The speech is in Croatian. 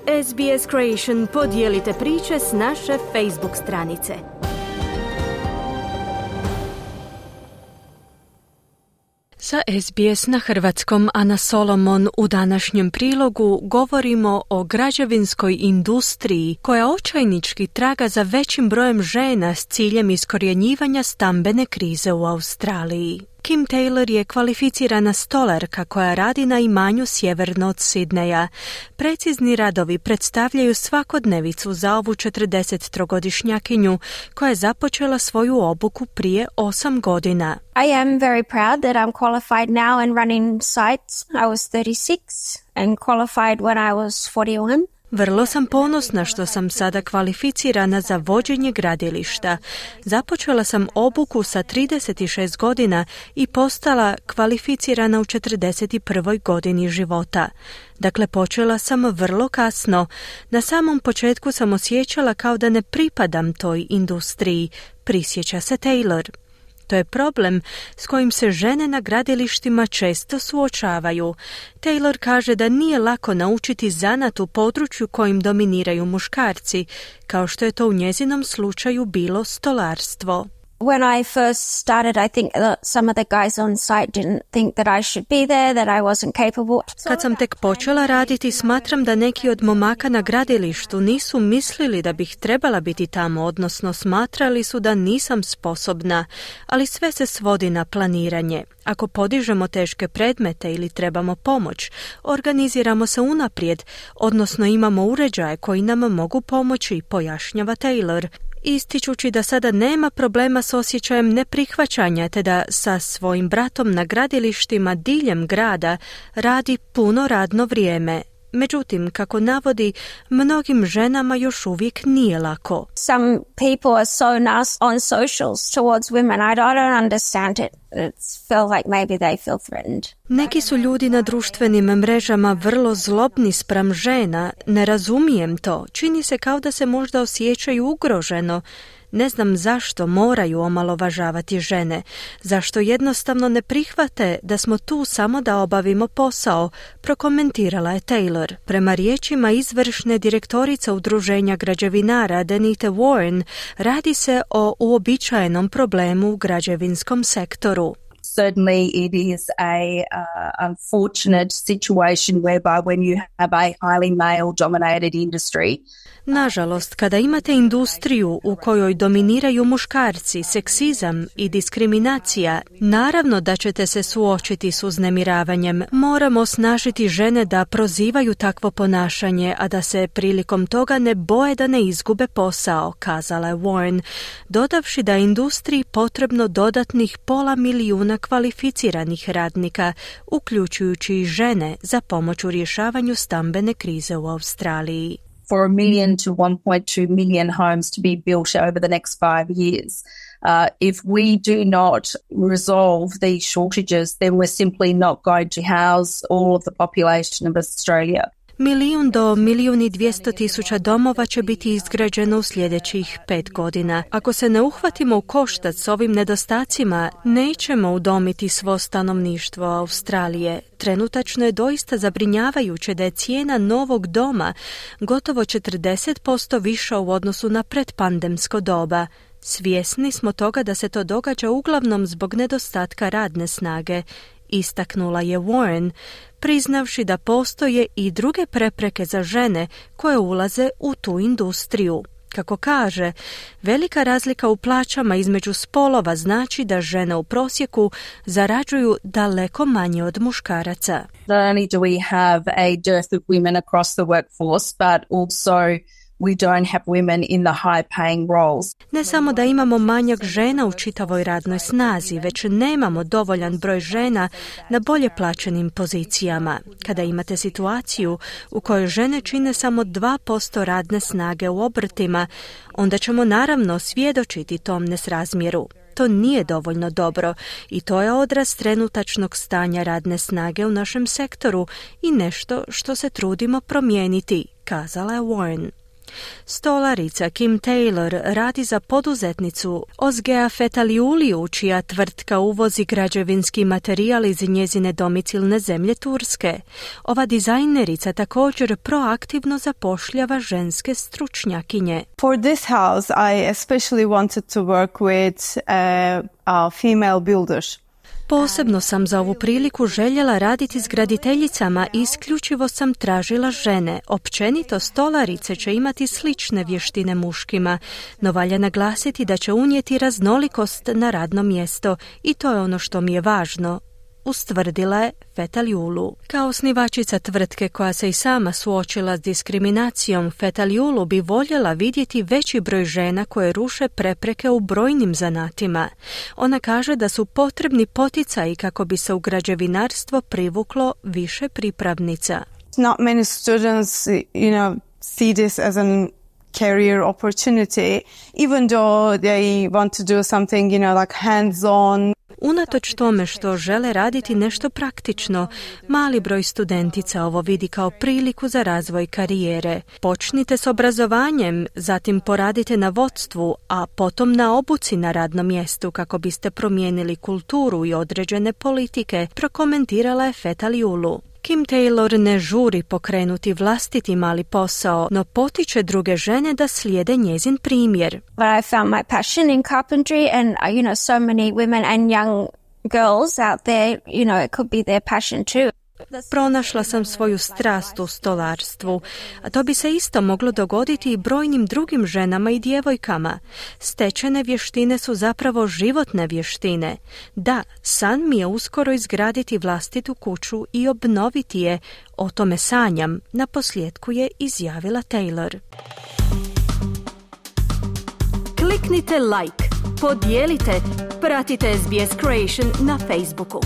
SBS Creation, podijelite priče s naše Facebook stranice. Sa SBS na hrvatskom Ana Solomon u današnjem prilogu govorimo o građevinskoj industriji koja očajnički traga za većim brojem žena s ciljem iskorjenjivanja stambene krize u Australiji. Kim Taylor je kvalificirana stolarka koja radi na imanju sjeverno od Sidneja. Precizni radovi predstavljaju svakodnevicu za ovu 43-godišnjakinju koja je započela svoju obuku prije 8 godina. I am very proud that I'm qualified now and running sites. I was 36 and qualified when I was 41. Vrlo sam ponosna što sam sada kvalificirana za vođenje gradilišta. Započela sam obuku sa 36 godina i postala kvalificirana u 41. godini života. Dakle, počela sam vrlo kasno. Na samom početku sam osjećala kao da ne pripadam toj industriji, prisjeća se Taylor. To je problem s kojim se žene na gradilištima često suočavaju. Taylor kaže da nije lako naučiti zanat u području kojim dominiraju muškarci, kao što je to u njezinom slučaju bilo stolarstvo. When I first started, I think that some of the guys on site didn't think that I should be there, that I wasn't capable. Kad sam tek počela raditi, smatram da neki od momaka na gradilištu nisu mislili da bih trebala biti tamo, odnosno smatrali su da nisam sposobna, ali sve se svodi na planiranje. Ako podižemo teške predmete ili trebamo pomoć, organiziramo se unaprijed, odnosno imamo uređaje koji nam mogu pomoći, pojašnjava Taylor, ističući da sada nema problema s osjećajem neprihvaćanja te da sa svojim bratom na gradilištima diljem grada radi puno radno vrijeme. Međutim, kako navodi, mnogim ženama još uvijek nije lako. Some people are so nasty on socials towards women. I don't understand it. It's feel like maybe they feel threatened. Neki su ljudi na društvenim mrežama vrlo zlobni spram žena. Ne razumijem to. Čini se kao da se možda osjećaju ugroženo. Ne znam zašto moraju omalovažavati žene, zašto jednostavno ne prihvate da smo tu samo da obavimo posao, prokomentirala je Taylor. Prema riječima izvršne direktorice udruženja građevinara Denite Warren, radi se o uobičajenom problemu u građevinskom sektoru. Certainly it is a unfortunate situation whereby when you have a highly male-dominated industry. Nažalost, kada imate industriju u kojoj dominiraju muškarci, seksizam i diskriminacija, naravno da ćete se suočiti s uznemiravanjem. Moramo osnažiti žene da prozivaju takvo ponašanje, a da se prilikom toga ne boje da ne izgube posao, kazala je Warren, dodavši da je industriji potrebno dodatnih 500,000 kvalificiranih radnika, uključujući i žene, za pomoć u rješavanju stambene krize u Australiji. For 1 million to 1.2 million homes to be built over the next 5 years. If we do not resolve these shortages, then we're simply not going to house all of the population of Australia. 1 do 1,2 miliona domova će biti izgrađeno u sljedećih 5 godina. Ako se ne uhvatimo u koštac s ovim nedostacima, nećemo udomiti svo stanovništvo Australije. Trenutačno je doista zabrinjavajuće da je cijena novog doma gotovo 40% viša u odnosu na predpandemsko doba. Svjesni smo toga da se to događa uglavnom zbog nedostatka radne snage, istaknula je Warren, priznavši da postoje i druge prepreke za žene koje ulaze u tu industriju. Kako kaže, velika razlika u plaćama između spolova znači da žene u prosjeku zarađuju daleko manje od muškaraca. Not only do we have a dearth of women across the workforce, but also we don't have women in the high-paying roles. Ne samo da imamo manjak žena u čitavoj radnoj snazi, već nemamo dovoljan broj žena na bolje plaćenim pozicijama. Kada imate situaciju u kojoj žene čine samo 2% radne snage u obrtima, onda ćemo naravno svjedočiti tom nesrazmjeru. To nije dovoljno dobro i to je odraz trenutačnog stanja radne snage u našem sektoru i nešto što se trudimo promijeniti, kazala je Warren. Stolarica Kim Taylor radi za poduzetnicu Ozgea Fetaliuliju, čija tvrtka uvozi građevinski materijal iz njezine domicilne zemlje Turske. Ova dizajnerica također proaktivno zapošljava ženske stručnjakinje. For this house, I especially wanted to work with female builders. Posebno sam za ovu priliku željela raditi s graditeljicama i isključivo sam tražila žene. Općenito stolarice će imati slične vještine muškima, no valja naglasiti da će unijeti raznolikost na radno mjesto i to je ono što mi je važno, ustvrdila je Fetaliulu. Kao osnivačica tvrtke koja se i sama suočila s diskriminacijom, Fetaliulu bi voljela vidjeti veći broj žena koje ruše prepreke u brojnim zanatima. Ona kaže da su potrebni poticaji kako bi se u građevinarstvo privuklo više pripravnica. Not many students, see this as an career opportunity, even though they want to do something, like hands-on. Unatoč tome što žele raditi nešto praktično, mali broj studentica ovo vidi kao priliku za razvoj karijere. Počnite s obrazovanjem, zatim poradite na vodstvu, a potom na obuci na radnom mjestu kako biste promijenili kulturu i određene politike, prokomentirala je Fetaliulu. Kim Taylor ne žuri pokrenuti vlastiti mali posao, no potiče druge žene da slijede njezin primjer. But I found my passion in carpentry and, so many women and young girls out there, it could be their passion too. Pronašla sam svoju strast u stolarstvu, a to bi se isto moglo dogoditi i brojnim drugim ženama i djevojkama. Stečene vještine su zapravo životne vještine. Da, san mi je uskoro izgraditi vlastitu kuću i obnoviti je. O tome sanjam, naposljetku je izjavila Taylor. Kliknite like, podijelite, pratite SBS Creation na Facebooku.